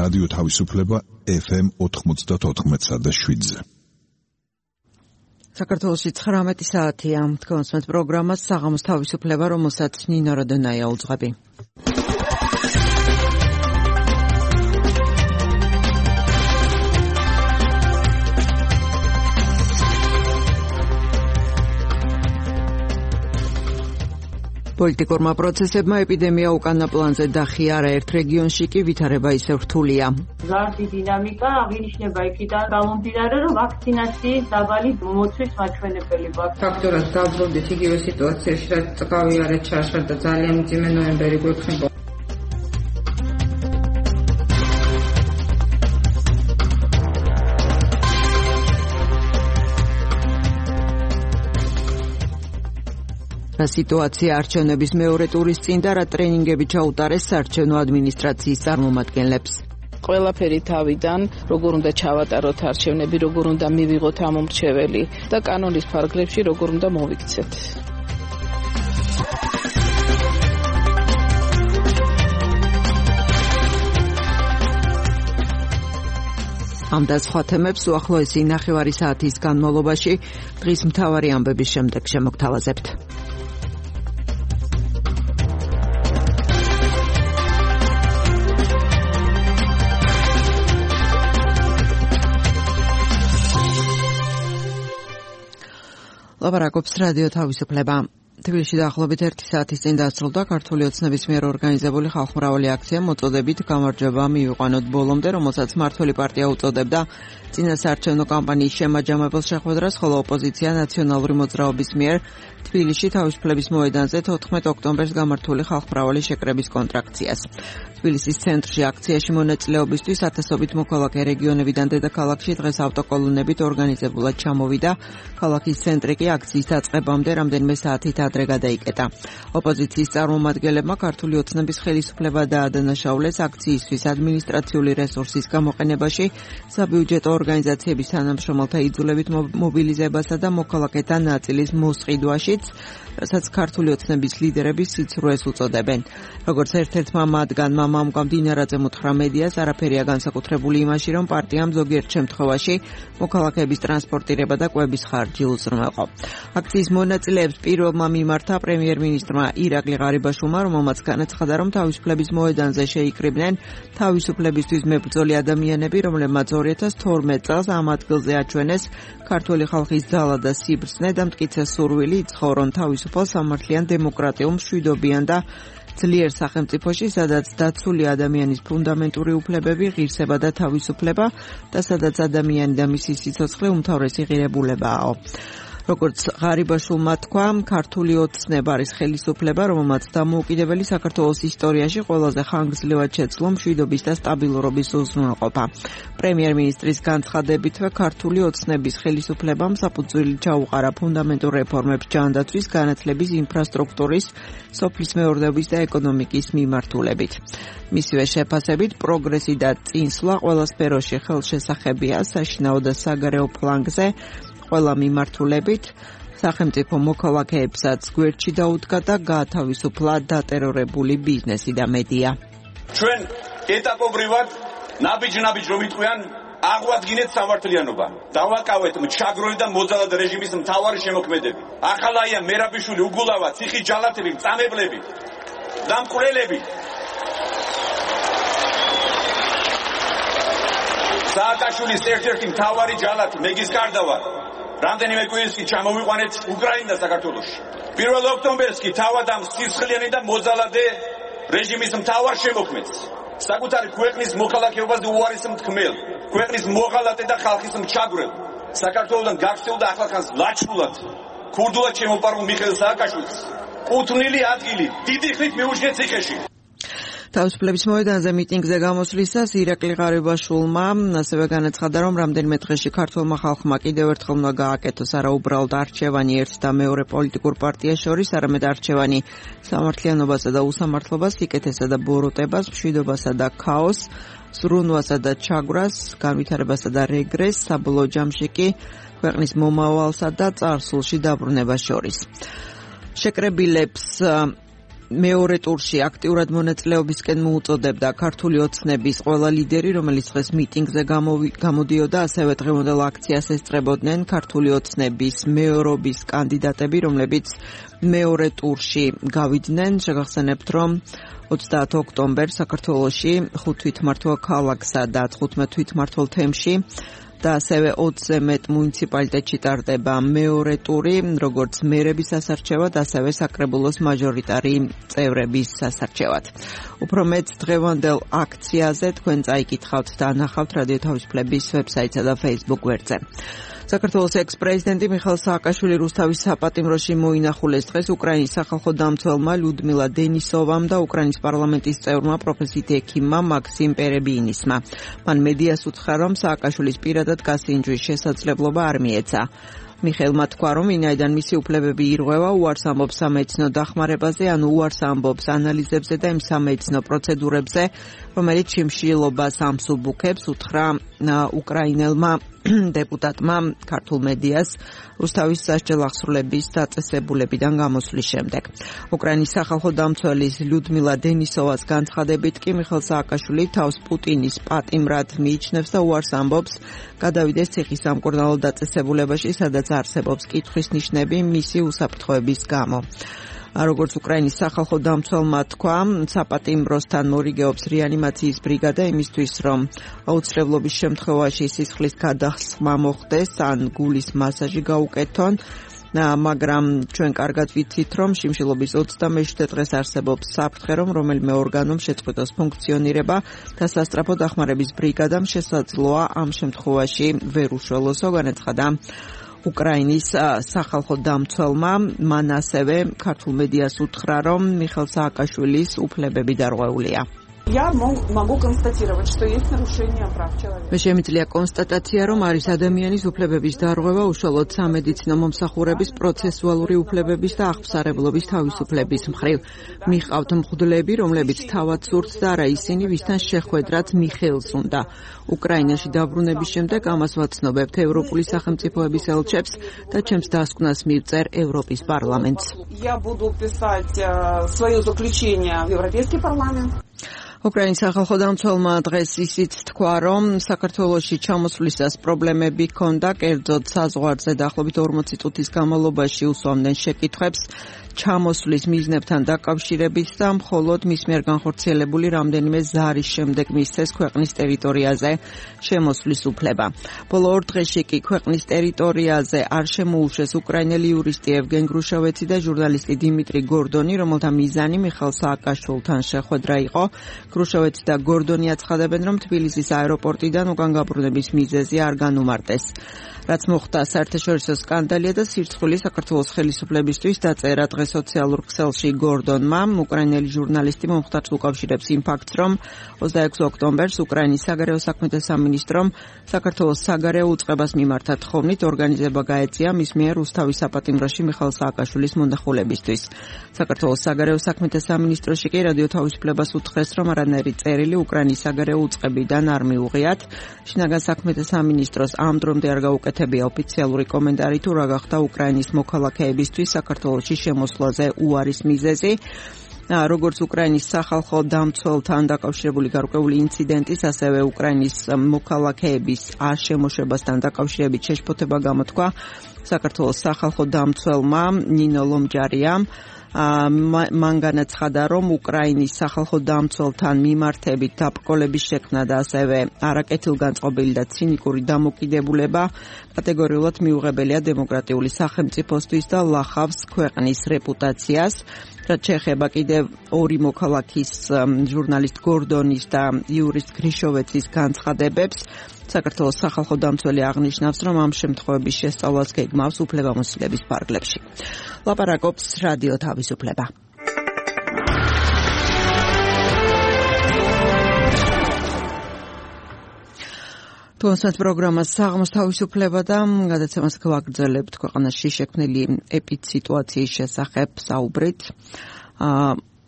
რადიო თავისუფლება FM 94.7-ზე. საქართველოში 19 საათია. თქვენს პროგრამას საღამოს თავისუფლება, რომელსაც ნინო როდონაია უძღვები. პოლიტიკურმა პროცესებმა ეპიდემია უკანა პლანზე დახიარა, ერთ რეგიონში კი ვითარება ისევ რთულია. ზარდი დინამიკა აღინიშნება იქიდან გამომდინარე, რომ ვაქცინაციის დაბალი მოცვის მაჩვენებელი გვაქვს. ფაქტორად დავბრუნდით იგივე სიტუაციაში, რაც წყავი არ ჩაშარდა, ძალიან მძიმე ნოემბერი გვექნება. სიტუაცია არჩევნების მეორე ტურის წინ და რა ტრენინგები ჩაუტარეს საარჩევნო ადმინისტრაციის წარმომადგენლებს. ყველაფერი თავიდან, როგორ უნდა ჩავატაროთ არჩევნები, როგორ უნდა მივიღოთ ამომრჩეველი და კანონის ფარგლებში როგორ უნდა მოვიქცეთ. ამ და სხვა თემებს უახლოესი 9 საათის განმავლობაში დღის მთავარი ამბების შემდეგ შემოგთავაზებთ. ლაპარაკობს რადიო თავისუფლება. თბილისში დაახლოებით 1 საათის წინ დასრულდა ქართული ოცნების მიერ ორგანიზებული ხალხმრავალი აქცია მოწოდებით გამარჯვება მივიყვანოთ ბოლომდე, რომელსაც მმართველი პარტია უწოდებდა წინასაარჩევნო კამპანიის შემაჯამებელ შეხვედრას, ხოლო ოპოზიცია ნაციონალური მოძრაობის მიერ თბილისში თავისუფლების მოედანზე 14 ოქტომბერს გამართული ხალხმრავალი შეკრების კონტრაქციას. თბილისის ცენტრში აქციაში მონაწილეობისთვის ათასობით მოქალაქე რეგიონებიდან დედაქალაქში დღეს ავტოკოლონებით ორგანიზებულად ჩამოვიდა. ქალაქის ცენტრი კი აქციის დაწყებამდე რამდენიმე საათით ადრე გადაიკეტა. ოპოზიციის წარმომადგენლებმა ქართული ოცნების ხელისუფლება დაადანაშაულეს აქციისთვის ადმინისტრაციული რესურსის გამოყენებაში, საბიუჯეტო ორგანიზაციების თანამშრომელთა იძულებით მობილიზებასა და მოქალაქეთა ნაწილის მოსყიდვაშიც, რასაც ქართული ოცნების ლიდერები სიცრუეს უწოდებენ. როგორც ერთ-ერთმა მათგანმა მამუკა მდინარაძემ უთხრა მედიას, არაფერია განსაკუთრებული იმაში, რომ პარტიამ ზოგიერთ შემთხვევაში მოქალაქეების ტრანსპორტირება და კვების ხარჯი უზრუნველყო. აქციის მონაწილეებს პირველმა მიმართა პრემიერ-მინისტრმა ირაკლი ღარიბაშვილმა, რომელმაც განაცხადა, რომ თავისუფლების მოედანზე შეიკრიბნენ თავისუფლებისთვის მებრძოლი ადამიანები, რომლებმაც 2012 წელს ამ ადგილზე აჩვენეს ქართული ხალხის ძალა და სიბრძნე და მტკიცე სურვილი იცხოვრონ თავისუფალ სამართლიან დემოკრატიულ მშვიდობიან და ძლიერ სახელმწიფოში, სადაც დაცული ადამიანის ფუნდამენტური უფლებები, ღირსება და თავისუფლება და სადაც ადამიანი და მისი სიცოცხლე უმთავრესი ღირებულებაა. როგორც ღარიბაშვილმა თქვა, ქართული ოცნება არის ხელისუფლება, რომელმაც დამოუკიდებელი საქართველოს ისტორიაში ყველაზე ხანგრძლივად შეძლო მშვიდობის და სტაბილურობის უზრუნველყოფა. პრემიერ-მინისტრის განცხადებითვე ქართული ოცნების ხელისუფლებამ საფუძველი ჩაუყარა ფუნდამენტურ რეფორმებს ჯანდაცვის, განათლების, ინფრასტრუქტურის, სოფლის მეურნეობის და ეკონომიკის მიმართულებით. მისივე შეფასებით, პროგრესი და წინსვლა ყველა სფეროში ხელშესახებია, საშინაო და საგარეო ფლანგზე, ყველა მიმართულებით, სახელმწიფო მოქალაქეებსაც გვერდში დაუდგა და გაათავისუფლა დატერორებული ბიზნესი და მედია. ჩვენ ეტაპობრივად ნაბიჯ რომ იტყვიან, აღვადგინეთ სამართლიანობა. დავაკავეთ მჩაგრული და მოძალად რეჟიმის მთავარი შემოქმედები. ახალაია მერაბიშვილი, უგულავა, ციხის ჯალათები, მწამებლები, დამკვლელები. სააკაშვილის ერთ-ერთი მთავარი ჯალათი მეგის კარდავა. რამდენიმე კვირას კი ჩამოვიყვანეთ უკრაინა და საქართველოში. 1 ოქტომბერს კი თავად ამ სისხლიანი და მოძალადე რეჟიმის მთავარ შემოქმედს, საკუთარი ქვეყნის მოქალაქეობაზე უარის მთქმელ, ქვეყნის მოღალატე და ხალხის მჩაგვრელ, საქართველოსთან გაქცეულ და ახლახანს ლაჩხულად, ქურდულად შემოპარულ მიხეილ სააკაშვილს კუთვნილი ადგილი დიდი ხნით მიუჩნია ციხეში. თავისუფლების მოედანზე მიტინგზე გამოსვლისას ირაკლი ღარიბაშვილმა ასევე განაცხადა, რომ რამდენიმე დღეში ქართულმა ხალხმა კიდევ ერთხელ უნდა გააკეთოს არა უბრალოდ არჩევანი ერთ და მეორე პოლიტიკურ პარტიას შორის, არამედ არჩევანი სამართლიანობასა და უსამართლობას, სიკეთესა და ბოროტებას, მშვიდობასა და ქაოსს, ზრუნვასა და ჩაგვრას, განვითარებასა და რეგრესს, საბოლოო ჯამში კი ქვეყნის მომავალსა და წარსულში დაბრუნებას შორის. შეკრებილებს მეორე ტურში აქტიურად მონაწილეობისკენ მოუწოდებდა ქართული ოცნების ყველა ლიდერი, რომელიც დღეს მიტინგზე გამოდიოდა, ასევე დღევანდელ აქციას ესწრებოდნენ ქართული ოცნების მეორობის კანდიდატები, რომლებიც მეორე ტურში გავიდნენ. შეგახსენებთ, რომ 30 ოქტომბერს საქართველოში 5 თვითმმართველ ქალაქსა და 15 თვითმმართველ თემში და ასევე 20-ზე მეტ მუნიციპალიტეტში ტარდება მეორე ტური, როგორც მერების სასარჩევად, ასევე საკრებულოს მაჟორიტარი წევრების სასარჩევად. უფრო მეტ დღევანდელ აქციაზე თქვენ წაიკითხავთ და ანახავთ რადიო თავისუფლების ვებსაიტსა და Facebook გვერდზე. საქართველოს ექს-პრეზიდენტი მიხეილ სააკაშვილი რუსთავის საპატიმროში მოინახულეს დღეს უკრაინის სახალხო დამცველმა ლიუდმილა დენისოვამ და უკრაინის პარლამენტის წევრმა პროფესიით ექიმმა მაქსიმ პერებიინისმა. მან მედიას უთხრა, რომ სააკაშვილის პირადად გასინჯვის შესაძლებლობა არ მიეცა. მიხეილმა თქვა, რომ ვინაიდან მისი უფლებები ირღვევა, უარს ამბობს სამედიცინო დახმარებაზე, ანუ უარს ამბობს ანალიზებზე და იმ სამედიცინო პროცედურებზე, რომელიც შიმშილობას ამსუბუქებს, უთხრა უკრაინელმა დეპუტატმა ქართულ მედიას რუსთავის სასჯელ აღსრულების დაწესებულებიდან გამოსვლის შემდეგ. უკრაინის სახალხო დამცველის ლიუდმილა დენისოვას განცხადებით კი მიხეილ სააკაშვილი თავს პუტინის პატიმრად მიიჩნევს და უარს ამბობს გადავიდეს ციხისამკურნალო დაწესებულებაში, სადაც არსებობს კითხვის ნიშნები მისი უსაფრთხოების გამო. როგორც უკრაინის სახალხო დამცველმა თქვა, საპატიმროსთან მორიგეობს რეანიმაციის ბრიგადა იმისთვის, რომ აუცილებლობის შემთხვევაში სისხლის გადასხმა მოხდეს ან გულის მასაჟი გაუკეთონ, მაგრამ ჩვენ კარგად ვიცით, რომ შიმშილობის 27 დღეს არსებობს საფრთხე, რომ რომელიმე ორგანომ შეწყვიტოს ფუნქციონირება და სასწრაფო დახმარების ბრიგადამ შესაძლოა ამ შემთხვევაში ვერ უშველოსო, განაცხადა უკრაინის სახალხო დამცველმა. მან ასევე ქართულ მედიას უთხრა, რომ მიხეილ სააკაშვილის უფლებები დარღვეულია. Я могу констатировать, что есть нарушение прав человека. მე შემიძლია კონსტატაცია, რომ არის ადამიანის უფლებების დარღვევა, უშუალოდ სამედიცინო მომსახურების პროცესუალური უფლებების და აღფსარებლობის თავისუფლების მხრივ. მიყავთ მღვდლები, რომლებიც თავად სურთ და არა ისინი, ვისთან შეხვედრაც მიხეილს უნდა. უკრაინაში დაბრუნების შემდეგ ამას ვაცნობებთ ევროპული სახელმწიფოების ელჩებს და ჩემს დასკვნას მივწერ ევროპის პარლამენტს. Я буду писать свое заключение в Европейский парламент. უკრაინის სახალხო დამცველმა დღეს ისიც თქვა, რომ საქართველოში ჩამოსვლისას პრობლემები ჰქონდა, კერძოდ საზღვარზე დაახლოებით 40 წუთის განმავლობაში უსვამდნენ შეკითხვებს ჩამოსვლის მიზნებთან დაკავშირებით და მხოლოდ მის მიერ განხორციელებული რამდენიმე ზარის შემდეგ მისცეს ქვეყნის ტერიტორიაზე შემოსვლის უფლება. ბოლო 2 დღეში კი ქვეყნის ტერიტორიაზე არ შემოუშვეს უკრაინელი იურისტი ევგენ გრუშოვეცი და ჟურნალისტი დიმიტრი გორდონი, რომელთა მიზანი მიხეილ სააკაშვილთან შეხვედრა იყო. გრუშოვეცი და გორდონი აცხადებენ, რომ თბილისის აეროპორტიდან უკან გაბრუნების მიზეზი არ განუმარტეს. რაც მოხდა საერთაშორისო სკანდალია და სირცხული საქართველოს ხელისუფლებისთვის დაწერა დღეს სოციალურ ქსელში გორდონმა. უკრაინელი ჟურნალისტი მომხდარს უკავშირებს იმ ფაქტს, რომ 26 ოქტომბერს უკრაინის საგარეო საქმეთა სამინისტრომ საქართველოს საგარეო უწყებას მიმართა თხოვნით ორგანიზება გაეწია მის მიერ რუსთავის საპატიმროში მიხეილ სააკაშვილის მონახულებისთვის. საქართველოს საგარეო საქმეთა სამინისტროში კი რადიო თავისუფლებას უთხრეს, რომ არანაირი წერილი უკრაინის საგარეო უწყებიდან არ მიუღიათ. შინაგან საქმეთა სამინისტროს ამ დრომდე არ გაუკეთებია ოფიციალური კომენტარი თუ რა გახდა უკრაინის მოქალაქეებისთვის საქართველოში შემოსვლაზე უარის მიზეზი. როგორც უკრაინის სახალხო დამცველთან დაკავშირებული გარკვეული ინციდენტის, ასევე უკრაინის მოქალაქეების არ შემოშვებასთან დაკავშირებით შეშფოთება გამოთქვა საქართველოს სახალხო დამცველმა ნინო ლომჯარიამ. მან განაცხადა, რომ უკრაინის სახალხო დამცველთან მიმართებით დაბრკოლების შექმნა და ასევე არაკეთილგანწყობილი და ცინიკური დამოკიდებულება კატეგორიულად მიუღებელია დემოკრატიული სახელმწიფოსთვის და ლახავს ქვეყნის რეპუტაციას. რაც შეეხება კიდევ ორი მოქალაქის ჟურნალისტ გორდონის და იურისტ გრიშოვეცის განცხადებებს, საქართველოს სახალხო დამცველი აღნიშნავს, რომ ამ შემთხვევების შესწავლას გეგმავს უფლებამოსილების ფარგლებში. ლაპარაკობს რადიო თავისუფლება. თუმცა პროგრამას საღამოს თავისუფლება და გადაცემას გვაგრძელებთ ქვეყანაში შექმნილი ეპიდსიტუაციის შესახებ საუბრით.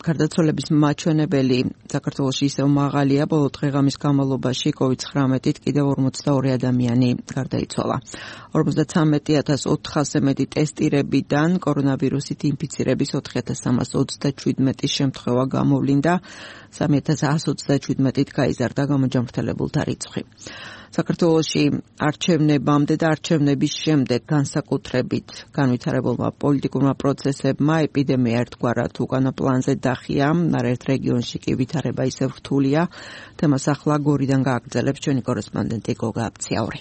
გარდაცვალების მაჩვენებელი საქართველოში ისევ მაღალია, ბოლო დღე-ღამის განმავლობაში COVID-19-ით კიდევ 42 ადამიანი გარდაიცვალა. 53400-ზე მეტი ტესტირებიდან კორონავირუსით ინფიცირების 4327 შემთხვევა გამოვლინდა, 3127-ით გაიზარდა გამოჯანმრთელებულთა რიცხვი. საქართველოში არჩევნებამდე და არჩევნების შემდეგ განსაკუთრებით განვითარებულმა პოლიტიკურმა პროცესებმა ეპიდემია ერთგვარად უკანა პლანზე დახია, არაერთ რეგიონში კი ვითარება ისევ რთულია. თემას ახლა გორიდან გააგრძელებს ჩვენი კორესპონდენტი გოგა აბციაური.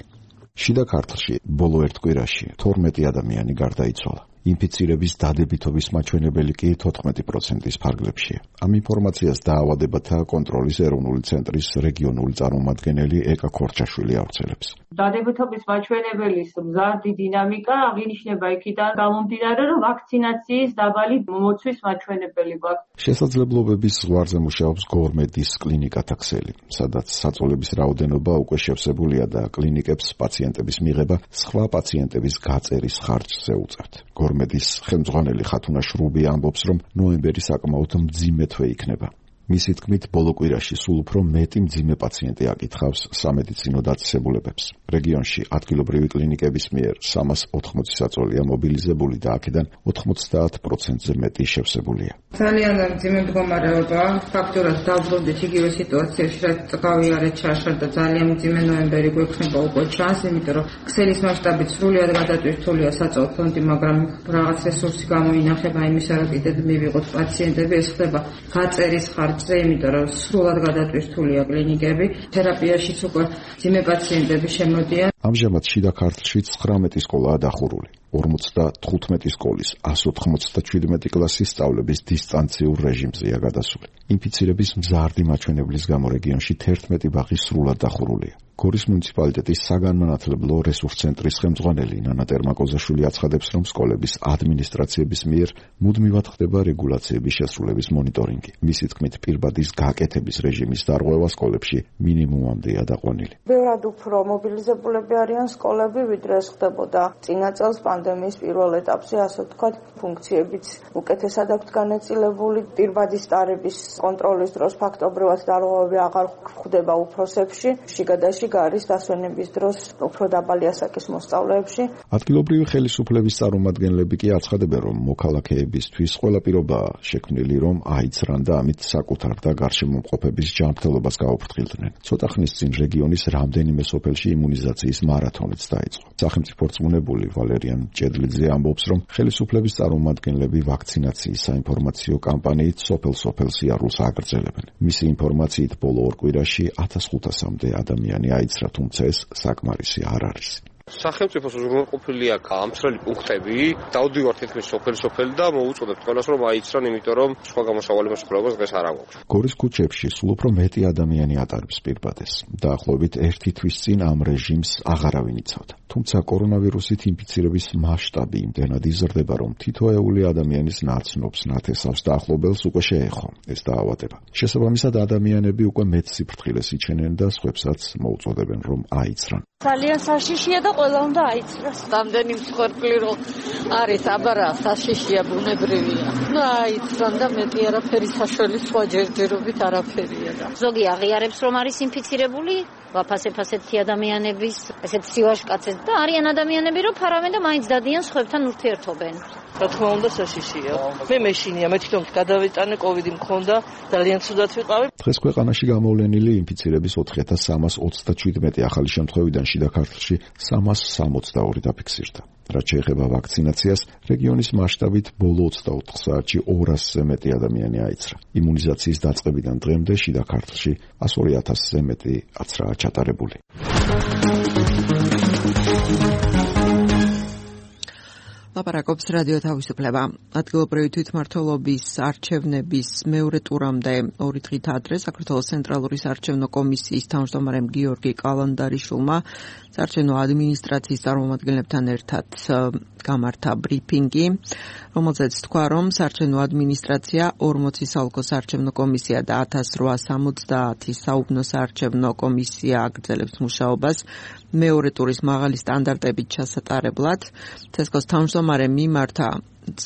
შიდა ქართლში ბოლო ერთ კვირაში 12 ადამიანი გარდაიცვალა. ინფიცირების დადებითობის მაჩვენებელი კი 14%-ის ფარგლებშია. ამ ინფორმაციას დაავადებათა კონტროლის ეროვნული ცენტრის რეგიონული წარმომადგენელი ეკა ქორჩაშვილი ავრცელებს. დადებითობის მაჩვენებელის მზარდი დინამიკა აღინიშნება იქიდან გამომდინარე, რომ ვაქცინაციის დაბალი მომოცვის მაჩვენებელი გვაქვს. შესაძლებლობების ზღვარზე მუშაობს გორმედის კლინიკათა ქსელი, სადაც საწოლების რაოდენობა უკვე შევსებულია და კლინიკებს პაციენტების მიღება სხვა პაციენტების გაწერის ხარჯზე უწევთ. გორმედის ხელმძღვანელი ხათუნა შრუბი ამბობს, რომ ნოემბერი საკმაოდ მძიმე თვე იქნება. მისი თქმით, ბოლო კვირაში სულ უფრო მეტი მძიმე პაციენტი აკითხავს სამედიცინო დაწესებულებებს. რეგიონში ადგილობრივი კლინიკების მიერ 380 საწოლია მობილიზებული და აქედან 90%-ზე მეტი შევსებულია. ძალიან მძიმე მდგომარეობა, ფაქტურად დავბრუნდით იგივე სიტუაციაში, რაც გავიარეთ ჩაშარდა ძალიან მძიმე ნოემბერი გვექნება უკვე ჩანს, იმიტომ რომ ქსელის მასშტაბით სრულიად გადატვირთულია საწოლ ფონდი, მაგრამ რაღაც რესურსი გამოინახება იმისა, რომ კიდევ მივიღოთ პაციენტები, ეს ხდება გაწერის ხარჯზე, იმიტომ რომ სრულად გადატვირთულია კლინიკები, თერაპიაშიც უკვე მძიმე პაციენტები შემოდიან. ამჟამად შიდა ქართლში 19 სკოლაა დახურული. 55 სკოლის 197 კლასის სწავლების დისტანციურ რეჟიმზეა გადასული. ინფიცირების მზარდი მაჩვენებლის გამო რეგიონში 11 ბაღი სრულად დახურულია. გორის მუნიციპალიტეტის საგანმანათლებლო რესურს ცენტრის ხელმძღვანელი ნანა ტერმაკოზაშვილი აცხადებს, რომ სკოლების ადმინისტრაციების მიერ მუდმივად ხდება რეგულაციების შესრულების მონიტორინგი. მისი თქმით, პირბადის გაკეთების რეჟიმის დარღვევა სკოლებში მინიმუმამდეა დაყვანილი. ბევრად უფრო მობილიზებულები არიან სკოლები, ვიდრე ეს ხდებოდა წინა წელს პანდემიის პირველ ეტაპზე, ასე ვთქვათ, ფუნქციებიც უკეთესად აქვთ განაწილებული. პირბადის ტარების კონტროლის დროს ფაქტობრივად დარღვევები აღარ ხდება უფროსებში, შიგადაში გარის დასვენების დროს უფრო დაბალი ასაკის მოსწავლეებში. ადგილობრივი ხელისუფლების წარმომადგენლები კი აცხადებენ, რომ მოქალაქეებისთვის ყველა პირობაა შექმნილი, რომ აიცრან და ამით საკუთარ და გარშემომყოფების ჯანმრთელობას გაუფრთხილდნენ. ცოტა ხნის წინ რეგიონის რამდენიმე სოფელში იმუნიზაციის მარათონიც დაიწყო. სახელმწიფო რწმუნებული ვალერიან ჭედლიძე ამბობს, რომ ხელისუფლების წარმომადგენლები ვაქცინაციის საინფორმაციო კამპანიით სოფელ-სოფელ სიარულს აგრძელებენ. მისი ინფორმაციით ბოლო ორ კვირაში 1500-მდე ადამიანი აიცრა, თუმცა ეს საკმარისი არ არის. სახელმწიფოს უზრუნველყოფილი აქვს ამცრელი პუნქტები, დავდივართ თითქმის სოფელი და მოუწოდებთ ყველას, რომ აიცრან, იმიტომ რომ სხვა გამოსავალი მოსახლეობას დღეს არ აქვს. გორის ქუჩებში სულ უფრო მეტი ადამიანი ატარებს პირბადეს. დაახლოებით ერთი თვის წინ ამ რეჟიმს აღარავინ იცავდა. თუმცა კორონავირუსით ინფიცირების მასშტაბი იმდენად იზრდება, რომ თითოეული ადამიანის ნაცნობს, ნათესავს და ახლობელს უკვე შეეხო ეს დაავადება. შესაბამისად, ადამიანები უკვე მეტ სიფრთხილეს იჩენენ და სხვებსაც მოუწოდებენ, რომ აიცრან. ძალიან საშიშია და ყველა უნდა აიცრას. რამდენი მსხვერპლი რომ არის, აბარა საშიშია, ბუნებრივია. აიცრან და მეტი არაფერი საშუალი სხვა ჯერჯერობით არაფერია და. ზოგი აღიარებს, რომ არის ინფიცირებული, ვაფასებ-ასეთი ადამიანების, ესეთ სივაშკაცებს და არიან ადამიანები, რომ ფარავენ და მაინც დადიან სხვებთან ურთიერთობენ. რა თქმა უნდა საშიშია. მე მეშინია, მე თვითონ გადავიტანე, კოვიდი მქონდა, ძალიან ცუდად ვიყავი. დღეს ქვეყანაში გამოვლენილი ინფიცირების 4327 ახალი შემთხვევიდან შიდა ქართლში 362 დაფიქსირდა. რაც შეეხება ვაქცინაციას, რეგიონის მასშტაბით ბოლო 24 საათში 200-ზე მეტი ადამიანი აიცრა. იმუნიზაციის დაწყებიდან დღემდე შიდა ქართლში 102,000-ზე მეტი აცრაა ჩატარებული. ლაპარაკობს რადიო თავისუფლება. ადგილობრივი თვითმმართველობის არჩევნების მეორე ტურამდე 2 დღით ადრე საქართველოს ცენტრალური საარჩევნო კომისიის თავმჯდომარემ გიორგი კალანდარიშვილმა საარჩევნო ადმინისტრაციის წარმომადგენლებთან ერთად გამართა ბრიფინგი, რომელზეც თქვა, რომ საარჩევნო ადმინისტრაცია 40 საოლქო საარჩევნო კომისია და 1870 საუბნო საარჩევნო კომისია აგრძელებს მუშაობას მეორე ტურის მაღალი სტანდარტებით ჩასატარებლად. თესკოს თავმჯდომარემ მიმართა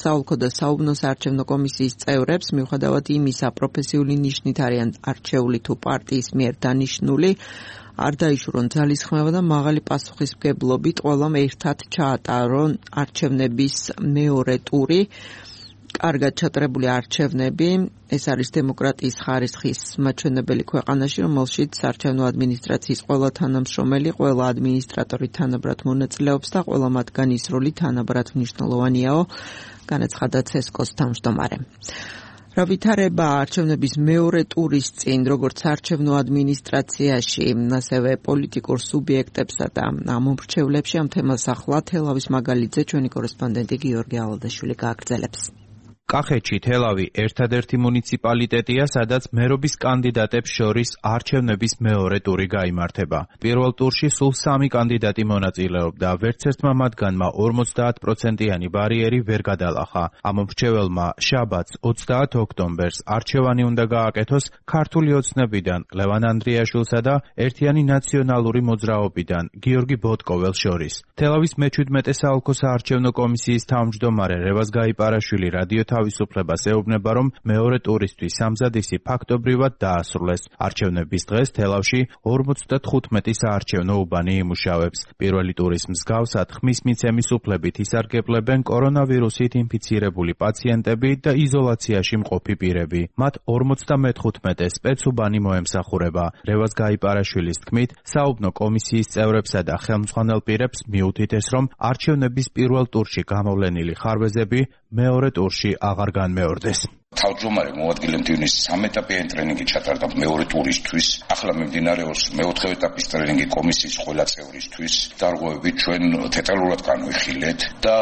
საოლქო და საუბნო საარჩევნო კომისიის წევრებს, მიუხედავად იმისა, პროფესიული ნიშნით არიან არჩეული თუ პარტიის მიერ დანიშნული, არ დაიშურონ ძალისხმევა და მაღალი პასუხისმგებლობით ყველამ ერთად ჩაატარონ არჩევნების მეორე ტური. კარგად ჩატარებული არჩევნები, ეს არის დემოკრატიის ხარისხის მაჩვენებელი ქვეყანაში, რომელშიც საარჩევნო ადმინისტრაციის ყველა თანამშრომელი, ყველა ადმინისტრატორი თანაბრად მონაწილეობს და ყველა მათგანი ის როლი თანაბრად მნიშვნელოვანიაო, განაცხადა ცესკოს თავმჯდომარე. რა ვითარება არჩევნების მეორე ტურის წინ, როგორც საარჩევნო ადმინისტრაციაში, ასევე პოლიტიკურ სუბიექტებსა და მომრჩევლებში, ამ თემას ახლა თელავის მაგალითზე ჩვენი კორესპონდენტი გიორგი ალადაშვილი გააგრძელებს. კახეთში თელავი ერთადერთი მუნიციპალიტეტია, სადაც მერობის კანდიდატებს შორის არჩევნების მეორე ტური გაიმართება. პირველ ტურში სულ 3 კანდიდატი მონაწილეობდა, ვერცერთმა მათგანმა 50%-იანი ბარიერი ვერ გადალახა. ამ მრჩეველმა შაბათს 30 ოქტომბერს არჩევანი უნდა გააკეთოს ქართული ოცნებიდან ლევან ანდრიაშვილსა და ერთიანი ნაციონალური მოძრაობიდან გიორგი ბოტკოველს შორის. თელავის მე-17 საოლქო საარჩევნო კომისიის თავმჯდომარე რევაზ გაიპარაშვილი რადიო თავისუფლებას ეუბნება, რომ მეორე ტურისთვის სამზადისი ფაქტობრივად დაასრულეს. არჩევნების დღეს თელავში 55 საარჩევნო უბანი იმუშავებს. პირველი ტურის მსგავსად ხმის მიცემის უფლებით ისარგებლებენ კორონავირუსით ინფიცირებული პაციენტები და იზოლაციაში მყოფი პირები. მათ 55 სპეცუბანი მოემსახურება. რევაზ გაიპარაშვილის თქმით, საუბნო კომისიის წევრებსა და ხელმძღვანელ პირებს მიუთითეს, რომ არჩევნების პირველ ტურში გამოვლენილი ხარვეზები მეორე ტურში აღარ განმეორდეს. თავმჯდომარე მოადგილე მდივნის 3 ეტაპიანი ტრენინგი ჩატარდა მეორე ტურისთვის. ახლა მიმდინარეობს მეოთხე ეტაპის ტრენინგი კომისიის ყველა წევრისთვის. დარღვევები ჩვენ დეტალურად განვიხილეთ და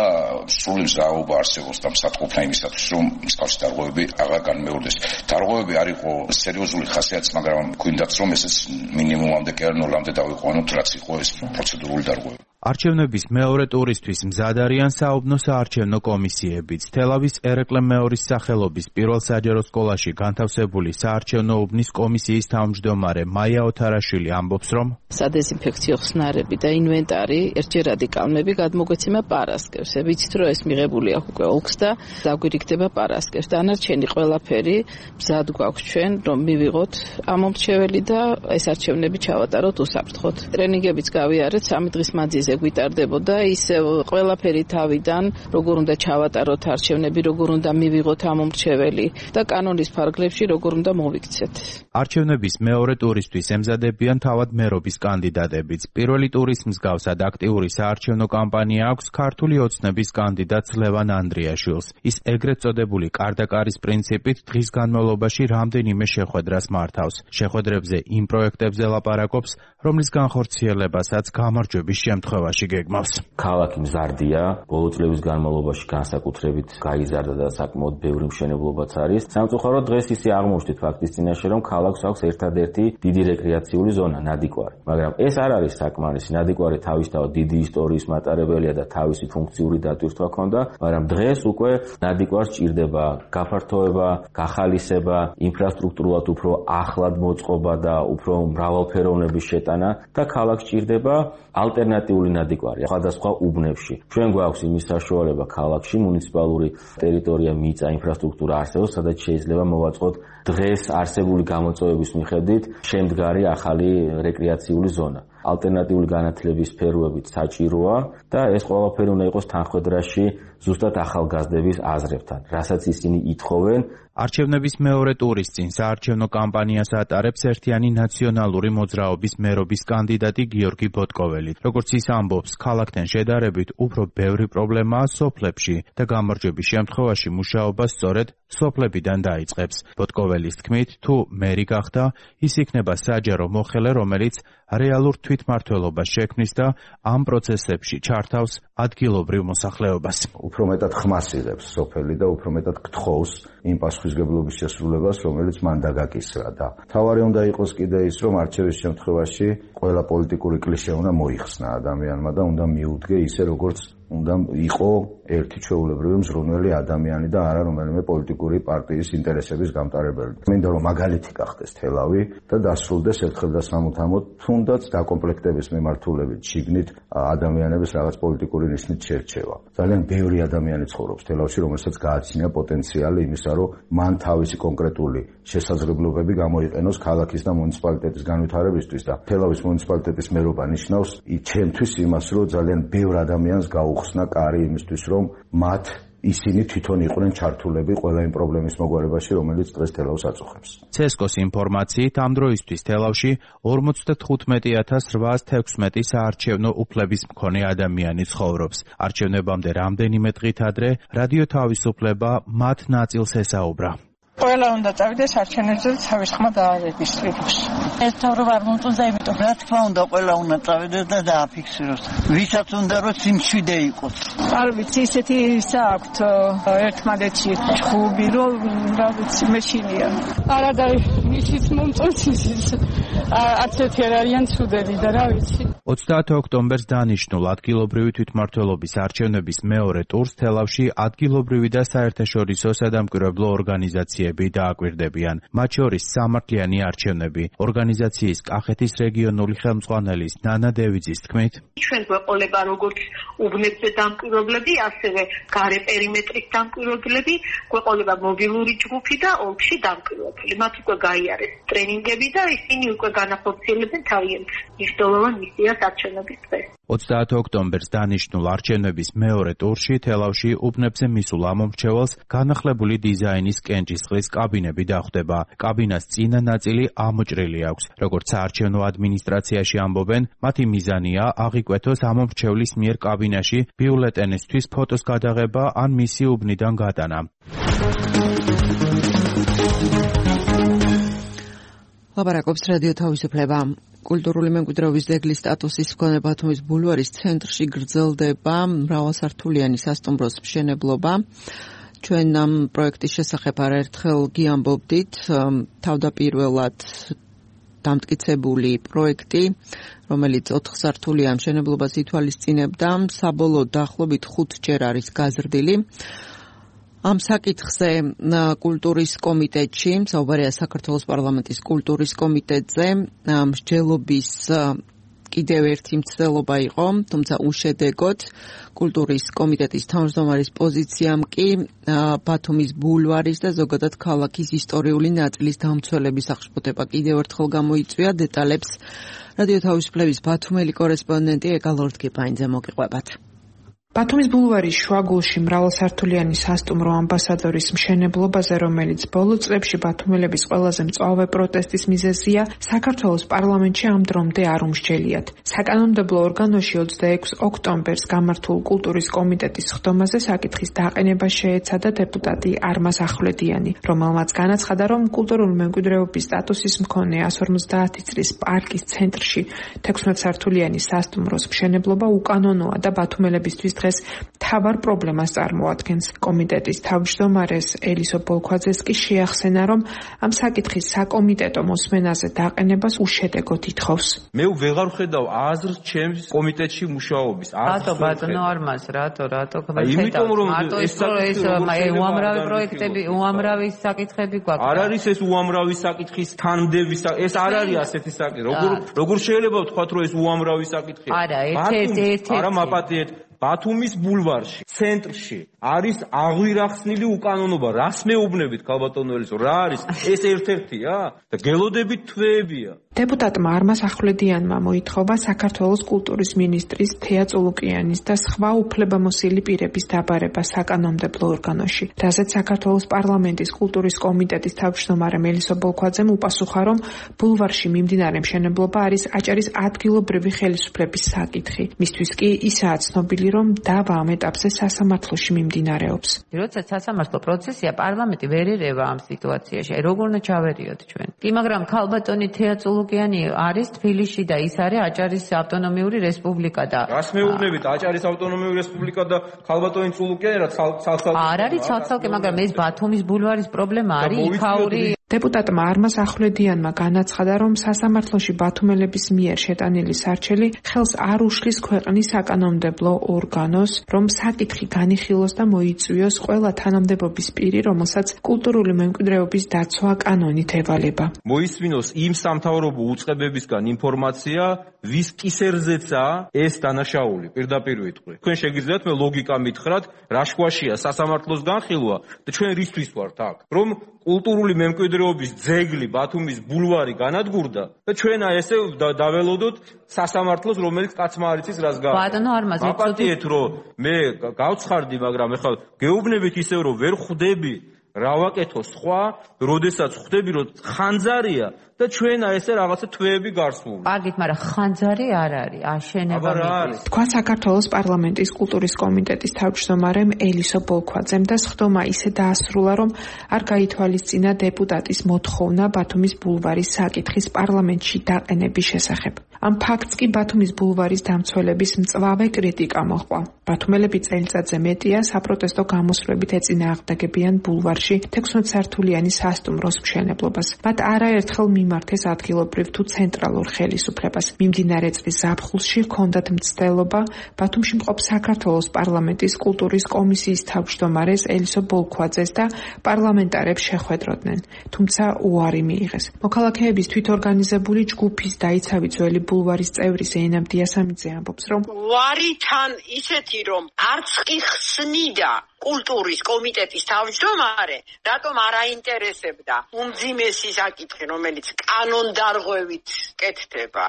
სრული მზაობა არსებობს და მსატყოფნა იმისათვის, რომ მსგავსი დარღვევები აღარ განმეორდეს. დარღვევები არ იყო სერიოზული ხასიათის, მაგრამ გვინდაც რომ ესეც მინიმუმამდე კი არ ნულამდე დავიყვანოთ, რაც იყო ეს პროცედურული დარღვევები. არჩევნების მეორე ტურისთვის მზად არიან საუბნო საარჩევნო კომისიებიც. თელავის ერეკლე მეორის სახელობის პირველ საჯარო სკოლაში განთავსებული საარჩევნო უბნის კომისიის თავმჯდომარე მაია ოთარაშვილი ამბობს, რომ სადეზინფექციო ხსნარები და ინვენტარი ერთჯერადი კალმები გადმოგვეცემა პარასკევს. ვიცით, რომ ეს მიღებული აქვს უკვე ოლქს და დაგვირიგდება პარასკევს. დანარჩენი ყველაფერი მზად გვაქვს ჩვენ, რომ მივიღოთ ამ მომრჩეველი და ეს არჩევნები ჩავატაროთ უსაფრთხოდ. ტრენინგებიც გავიარეთ 3 დღის მანძილზე გვიტარდებოდა, ისევ ყველაფერი თავიდან, როგორ უნდა ჩავატაროთ არჩევნები, როგორ უნდა მივიღოთ ამ მომრჩეველი და კანონის ფარგლებში როგორ უნდა მოვიქცეთ. არჩევნების მეორე ტურისთვის ემზადებიან თავად მერობის კანდიდატებიც. პირველი ტურის მსგავსად აქტიური საარჩევნო კამპანია აქვს ქართული ოცნების კანდიდატს ლევან ანდრიაშვილს. ის ეგრეთ წოდებული კარდაკარის პრინციპით დღის განმავლობაში რამდენიმე შეხვედრას მართავს. შეხვედრებზე იმ პროექტებზე ლაპარაკობს, რომლის განხორციელებასაც გამარჯვების შემთხვევაში გეგმავს. ქალაქი მზარდია, ბოლო წლების განმავლობაში განსაკუთრებით გაიზარდა და საკმაოდ ბევრი მშენებლობაც არის. სამწუხაროდ დღეს ისე აღმოჩნდით ფაქტის წინაშე, რომ ქალაქს აქვს ერთადერთი დიდი რეკრეაციული ზონა ნადიკვარი. მაგრამ ეს არ არის საკმარისი. ნადიკვარი თავისთავად დიდი ისტორიის მატარებელია და თავისი ფუნქციური დატვირთვა ჰქონდა, მაგრამ დღეს უკვე ნადიკვარს ჭირდება გაფართოება, გახალისება, ინფრასტრუქტურულად უფრო ახლად მოწყობა და უფრო მრავალფეროვნების შეტანა და ქალაქს ჭირდება ალტერნატიული ნადიკვარი სხვადასხვა უბნებში. ჩვენ გვაქვს იმის საშუალება ქალაქში მუნიციპალური ტერიტორია, მიწა, ინფრასტრუქტურა არსებობს, სადაც შეიძლება მოვაწყოთ დღეს არსებული გამოწვევების მიხედვით შემდგარი ახალი რეკრეაციული ზონა. ალტერნატიული განათლების სფეროებით საჭიროა და ეს ყველაფერი უნდა იყოს თანხმედრაში ზუსტად ახალგაზრდების აზრებთან, რასაც ისინი ითხოვენ. არჩევნების მეორე ტურის წინ საარჩევნო კამპანიას ატარებს ერთიანი ნაციონალური მოძრაობის მერობის კანდიდატი გიორგი ბოტკოველი. როგორც ის ამბობს, ქალაქთან შედარებით უფრო ბევრი პრობლემაა სოფლებში და გამარჯვების შემთხვევაში მუშაობა სწორედ სოფლებიდან დაიწყებს. ბოტკოველის თქმით, თუ მერი გახდა, ის იქნება საჯარო მოხელე, რომელიც რეალურ თვითმმართველობას შექმნის და ამ პროცესებში ჩართავს ადგილობრივ მოსახლეობას. უფრო მეტად ხმას იღებს სოფელი და უფრო მეტად გთხოვს იმ პასუხისგებლობის შესრულებას, რომელიც მან დაგაკისრა და თავარი უნდა იყოს კიდე ის, რომ არჩევის შემთხვევაში ყველა პოლიტიკური კლიშე უნდა მოიხსნა ადამიანმა და უნდა მიუდგე ისე, როგორც უნდა იყო ერთი ჩვეულებრივი მზრუნველი ადამიანი და არა რომელიმე პოლიტიკური პარტიის ინტერესების გამტარებელი. მინდა რომ მაგალითი გახდეს თელავი და დასრულდეს ერთხელ და სამუდამოდ თუნდაც დაკომპლექტების მიმართულებით შიგნით ადამიანების რაღაც პოლიტიკური ნიშნით შერჩევა. ძალიან ბევრი ადამიანი ცხოვრობს თელავში, რომელსაც გააჩნია პოტენციალი იმისა, რომ მან თავისი კონკრეტული შესაძლებლობები გამოიყენოს ქალაქის და მუნიციპალიტეტის განვითარებისთვის და თელავის მუნიციპალიტეტის მერობა ნიშნავს ჩემთვის იმას, რომ ძალიან ბევრ ადამიანს გაუხსნა კარი იმისთვის, რომ მათ ისინი თვითონ იყვნენ ჩართულები ყველა იმ პრობლემის მოგვარებაში, რომელიც დღეს თელავს აწუხებს. CESCO-ს ინფორმაციით ამ დროისთვის თელავში 55,816 საარჩევნო უფლების მქონე ადამიანი ცხოვრობს. არჩევნებამდე რამდენიმე დღით ადრე რადიო თავისუფლება მათ ნაწილს ესაუბრა. ყველა უნდა წავიდეს არჩევნებზე და თავის ხმა დაარეგისტრიროს. ეს თავრობა არ მომწონდა, იმიტომ რა თქმა უნდა ყველა უნდა წავიდეს და დააფიქსიროს. ვისაც უნდა რომ სიმშვიდე იყოს. არ ვიცი, ისეთი საქვთ ერთმანეთში ჭუბი, რომ რა ვიცი, მეშინია. არა და ისიც მომწონს ის. არცერთი არ არიან ცუდები და რა ვიცი. 30 ოქტომბერს დანიშნულ ადგილობრივი თვითმმართველობის არჩევნების მეორე ტურს თელავში ადგილობრივი და საერთაშორისო სადამკვირვებლო ორგანიზაციები დააკვირდებიან. მათ შორის სამართლიანი არჩევნები. ორგანიზაციის კახეთის რეგიონული ხელმძღვანელის ნანა დევიძის თქმით, ჩვენ გვეყოლება როგორც უბნებზე დამკვირვებლები, ასევე გარე პერიმეტრის დამკვირვებლები, გვეყოლება მობილური ჯგუფი და ოლქში დამკვირვებლები. მათ უკვე გაიარეს ტრენინგები და ისინი უკვე განახორციელებენ თავიანთ მნიშვნელოვან მისიას არჩევნების დღეს. 30 ოქტომბერს დანიშნულ არჩევნების მეორე ტურში თელავში უბნებზე მისულ ამომრჩეველს განახლებული დიზაინის კენჭისყრის კაბინები დახვდება. კაბინას წინა ნაწილი ამოჭრილი აქვს. როგორც საარჩევნო ადმინისტრაციაში ამბობენ, მათი მიზანია აღიკვეთოს ამომრჩევლის მიერ კაბინაში ბიულეტენისთვის ფოტოს გადაღება ან მისი უბნიდან გატანა. ლაპარაკობს რადიო თავისუფლება. კულტურული მემკვიდრეობის ძეგლის სტატუსის მქონე ბათუმის ბულვარის ცენტრში გრძელდება მრავალსართულიანი სასტუმროს მშენებლობა. ჩვენ ამ პროექტის შესახებ არაერთხელ გიამბობდით. თავდაპირველად დამტკიცებული პროექტი, რომელიც 4 სართულიან მშენებლობას ითვალისწინებდა, საბოლოოდ დაახლოებით 5-ჯერ არის გაზრდილი. ამ საკითხზე კულტურის კომიტეტში, საუბარია საქართველოს პარლამენტის კულტურის კომიტეტზე, მსჯელობის კიდევ ერთი მცდელობა იყო, თუმცა უშედეგოდ. კულტურის კომიტეტის თავმჯდომარის პოზიციამ კი ბათუმის ბულვარის და ზოგადად ქალაქის ისტორიული ნაწილის დამცველების აღშფოთება კიდევ ერთხელ გამოიწვია. დეტალებს რადიო თავისუფლების ბათუმელი კორესპონდენტი ეკალორდგებაინძე მოგიყვებათ. ბათუმის ბულვარის შუაგულში მრავალსართულიანი სასტუმრო ამბასადორის მშენებლობაზე, რომელიც ბოლო წლებში ბათუმელების ყველაზე მწვავე პროტესტის მიზეზია, საქართველოს პარლამენტში ამ დრომდე არ უმსჯელიათ. საკანონმდებლო ორგანოში 26 ოქტომბერს გამართულ კულტურის კომიტეტის ხდომაზე საკითხის დაყენება შეეცადა დეპუტატი არმაზ ახვლედიანი, რომელმაც განაცხადა, რომ კულტურული მემკვიდრეობის სტატუსის მქონე 150 წლის პარკის ცენტრში 16 სართულიანი სასტუმროს მშენებლობა უკანონოა და ბათუმელებისთვის თავარ პრობლემას წარმოადგენს. კომიტეტის თავმჯდომარეს ელისო ბოლქვაძეს კი შეახსენა, რომ ამ საკითხის საკომიტეტო მოსმენაზე დაყენებას უშედეგოდ ითხოვს. მე ვეღარ ვხედავ აზრს ჩემს კომიტეტში მუშაობის. რატო ბატონო არმაზ, რატო იმიტომ რომ ეს უამრავი პროექტები, უამრავი საკითხები გვაქვს. არ არის ეს უამრავი საკითხის თანმდების, ეს არ არის ასეთი საკითხი. როგორ შეიძლება ვთქვათ, რომ ეს უამრავი საკითხია? არა, ერთ-ერთი. არა მაპატიეთ. ბათუმის ბულვარში, ცენტრში არის აღვირახსნილი უკანონობა. რას მეუბნებით, ქალბატონო ელისო, რა არის? ეს ერთ-ერთია და გელოდებით თვეებია. დეპუტატმა არმაზ ახვლედიანმა მოითხოვა საქართველოს კულტურის მინისტრის თეა წულუკიანის და სხვა უფლებამოსილი პირების დაბარება საკანონმდებლო ორგანოში. რაზეც საქართველოს პარლამენტის კულტურის კომიტეტის თავმჯდომარე ელისო ბოლქვაძემ უპასუხა, რომ ბულვარში მიმდინარე მშენებლობა არის აჭარის ადგილობრივი ხელისუფლების საკითხი. მისთვის კი ისაა ცნობილი, რომ დავა ამ ეტაპზე სასამართლოში მიმდინარეობს. მიმდინარეობს. როცა სასამართლო პროცესია, პარლამენტი ვერ ერევა ამ სიტუაციაში. როგორ უნდა ჩავერიოთ ჩვენ? კი, მაგრამ ქალბატონი თეა წულუკიანი არის თბილისში და ის არის აჭარის ავტონომიური რესპუბლიკა და რას მეუბნებით აჭარის ავტონომიური რესპუბლიკა და ქალბატონი წულუკიანი რა ცალ-ცალკე არ არის ცალ-ცალკე, მაგრამ ეს ბათუმის ბულვარის პრობლემა არის იქაური. დეპუტატმა არმაზ ახვლედიანმა განაცხადა, რომ სასამართლოში ბათუმელების მიერ შეტანილი სარჩელი ხელს არ უშლის ქვეყნის საკანონმდებლო ორგანოს, რომ საკითხი განიხილოს და მოიწვიოს ყველა თანამდებობის პირი, რომელსაც კულტურული მემკვიდრეობის დაცვა კანონით ევალება. მოისმინოს იმ სამთავრობო უწყებებისგან ინფორმაცია, ვის კისერზეცაა ეს დანაშაული, პირდაპირ ვიტყვი. თქვენ შეგიძლიათ მე ლოგიკა მითხრათ, რა შუაშია სასამართლოს განხილვა და ჩვენ რისთვის ვართ აქ, რომ კულტურული მემკვიდრეობის ძეგლი ბათუმის ბულვარი განადგურდა და ჩვენ ესე დაველოდოთ სასამართლოს, რომელიც კაცმა არ იცის რას გააკეთა. ბატონო არმაზ, აპატიეთ რომ მე გავცხარდი, მაგრამ ეხლა გეუბნებით ისევ რომ ვერ ხვდები რა ვაკეთო სხვა, როდესაც ხვდები რომ ხანძარია და ჩვენა ესე რაღაცა თვეები გარსული. კარგით, მაგრამ ხანძარი არ არის, აშენება მიდის. თქვა საქართველოს პარლამენტის კულტურის კომიტეტის თავმჯდომარემ ელისო ბოლქვაძემ და სხდომა ისე დაასრულა, რომ არ გაითვალისწინა დეპუტატის მოთხოვნა ბათუმის ბულვარის საკითხის პარლამენტში დაყენების შესახებ. ამ ფაქტს კი ბათუმის ბულვარის დამცველების მწვავე კრიტიკა მოჰყვა. ბათუმელები წელიწადზე მეტია საპროტესტო გამოსვლებით ეწინააღმდეგებიან ბულვარში 16 სართულიანი სასტუმროს მშენებლობას. მათ არაერთხელ მიმართეს ადგილობრივ თუ ცენტრალურ ხელისუფლებას. მიმდინარე წლის ზაფხულში ჰქონდათ მცდელობა ბათუმში მყოფ საქართველოს პარლამენტის კულტურის კომისიის თავმჯდომარეს ელისო ბოლქვაძეს და პარლამენტარებს შეხვედროდნენ, თუმცა უარი მიიღეს. მოქალაქეების თვითორგანიზებული ჯგუფის დაიცავი ძველი ბულვარის წევრი ზეინაბ დიასამიძე ამბობს, რომ ვარითან ისეთი რომ არც კი ხსნიდა კულტურის კომიტეტის თავმჯდომარე, რატომ არ აინტერესებდა უმძიმესი საკითხი, რომელიც კანონდარღვევით კეთდება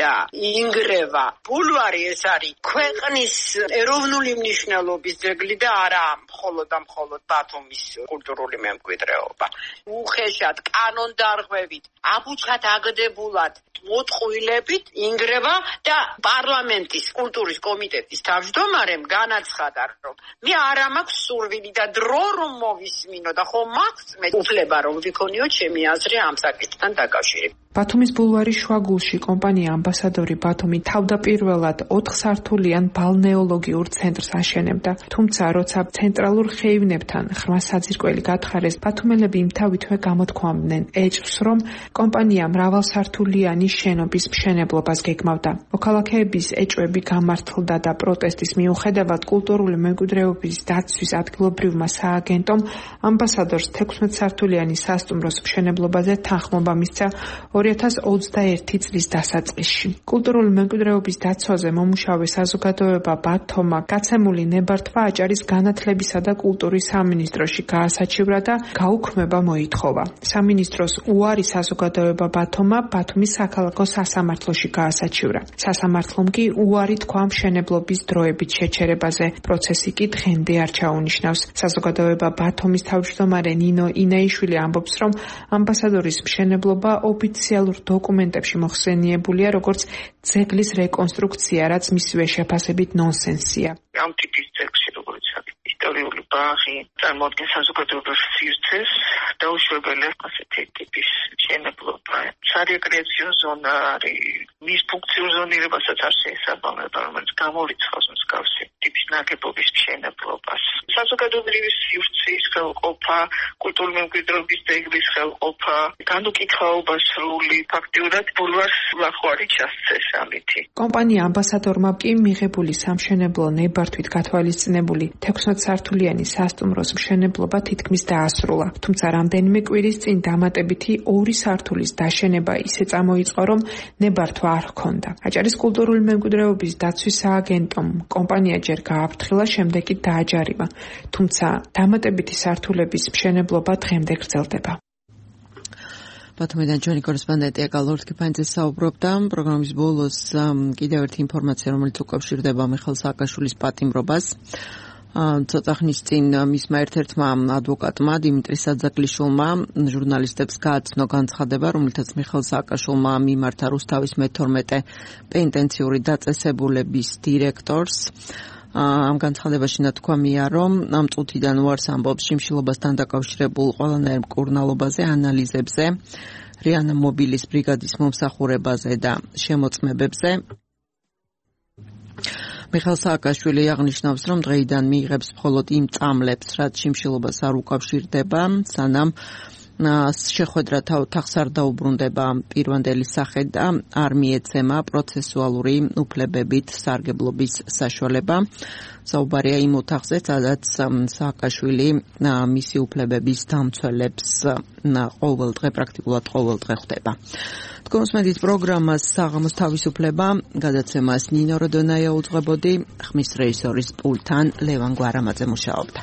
და ინგრევა. ბულვარი ეს არის ქვეყნის ეროვნული მნიშვნელობის ძეგლი და არა მხოლოდ ბათუმის კულტურული მემკვიდრეობა. უხეშად კანონდარღვევით, აბუჩად აგდებულად მოტყუილებით ინგრევა და პარლამენტის კულტურის კომიტეტის თავმჯდომარემ განაცხადა, რომ მე არ მაქვს სურვილი და დრო რომ მოვისმინო და ხომ მაქვს მე უფლება რომ ვიქონიო ჩემი აზრი ამ საკითხთან დაკავშირებით. ბათუმის ბულვარის შუაგულში კომპანია ამბასადორი ბათუმი თავდაპირველად 4 სართულიან ბალნეოლოგიურ ცენტრს აშენებდა, თუმცა როცა ცენტრალურ ხეივნებთან ხრმა საძირკველი გათხარეს, ბათუმელები იმთავითვე გამოთქვამდნენ ეჭვს, რომ კომპანია მრავალსართულიანი შენობის მშენებლობას გეგმავდა. მოქალაქეების ეჭვები გამართლდა და პროტესტის მიუხედავად კულტურული მემკვიდრეობის დაცვის ადგილობრივმა სააგენტომ ამბასადორს 16 სართულიანი სასტუმროს მშენებლობაზე თანხმობა მისცა 2021 წლის დასაწყისში. კულტურული მემკვიდრეობის დაცვაზე მომუშავე საზოგადოება ბათომა გაცემული ნებართვა აჭარის განათლებისა და კულტურის სამინისტროში გაასაჩივრა და გაუქმება მოითხოვა. სამინისტროს უარი საზოგადოება ბათომა ბათუმის საქალაქო სასამართლოში გაასაჩივრა. სასამართლომ კი უარი თქვა მშენებლობის დროებით შეჩერებაზე. პროცესი კი დღემდე არ ჩაუნიშნავს. საზოგადოება ბათუმის თავმჯდომარე ნინო ინაიშვილი ამბობს, რომ ამბასადორის მშენებლობა ოფიციალურ დოკუმენტებში მოხსენიებულია როგორც ძეგლის რეკონსტრუქცია, რაც მისივე შეფასებით ნონსენსია. ამ ტიპის ძეგლში როგორც ისტორიული ბაღი წარმოადგენს საზოგადოების სივრცეს, დაუშვებელი ასეთი ტიპის მშენებლობა. სარეკრეაციო ზონა არის, მის ფუნქციურ ზონირებასაც არ შეესაბამება, რომელიც გამორიცხავს მსგავსი ტიპის ნაგებობის მშენებლობას. საზოგადოებრივი სივრცის ხელყოფა, კულტურული მემკვიდრეობის ძეგლის ხელყოფა, განუკითხაობა სრული, ფაქტიურად ბულვარს ლახვარი ჩასცეს ამითი. კომპანია ამბასადორმა კი მიღებული სამშენებლო ნებართვით გათვალისწინებული 16 სართულიანი სასტუმროს მშენებლობა თითქმის დაასრულა. თუმცა რამდენიმე კვირის წინ დამატებითი 2 სართულის დაშენება ისე წამოიწყო, რომ ნებართვა არ ჰქონდა. აჭარის კულტურული მემკვიდრეობის დაცვის სააგენტომ კომპანია ჯერ გააფრთხილა, შემდეგ კი დააჯარიმა. თუმცა დამატებითი სართულების მშენებლობა დღემდე გრძელდება. ბათუმიდან ჩვენი კორესპონდენტი აკალ ორთქიფანიძე საუბრობდა. პროგრამის ბოლოს კიდევ ერთი ინფორმაცია, რომელიც უკავშირდება მიხეილ სააკაშვილის პატიმრობას. ცოტა ხნის წინ მისმა ერთ-ერთმა ადვოკატმა დიმიტრი საძაგლიშვილმა ჟურნალისტებს გააცნო განცხადება, რომლითაც მიხეილ სააკაშვილმა მიმართა რუსთავის მე-12 პენიტენციური დაწესებულების დირექტორს. ამ განცხადებაში ნათქვამია, რომ ამ წუთიდან უარს ამბობს შიმშილობასთან დაკავშირებულ ყველანაირ მკურნალობაზე, ანალიზებზე, რიანა მობილის ბრიგადის მომსახურებაზე და შემოწმებებზე. მიხეილ სააკაშვილი აღნიშნავს, რომ დღეიდან მიიღებს მხოლოდ იმ წამლებს, რაც შიმშილობას არ უკავშირდება, სანამ შეხვედრა თავს არ დაუბრუნდება პირვანდელი სახე და არ მიეცემა პროცესუალური უფლებებით სარგებლობის საშუალება. საუბარია იმ ოთახზე, სადაც სააკაშვილი მისი უფლებების დამცველებს პრაქტიკულად ყოველ დღე ხვდება. თქვენს პროგრამას საღამოს თავისუფლება გადაცემას ნინო როდონაია უძღვებოდი, ხმის რეჟისორის პულტთან ლევან გვარამაძე მუშაობდა.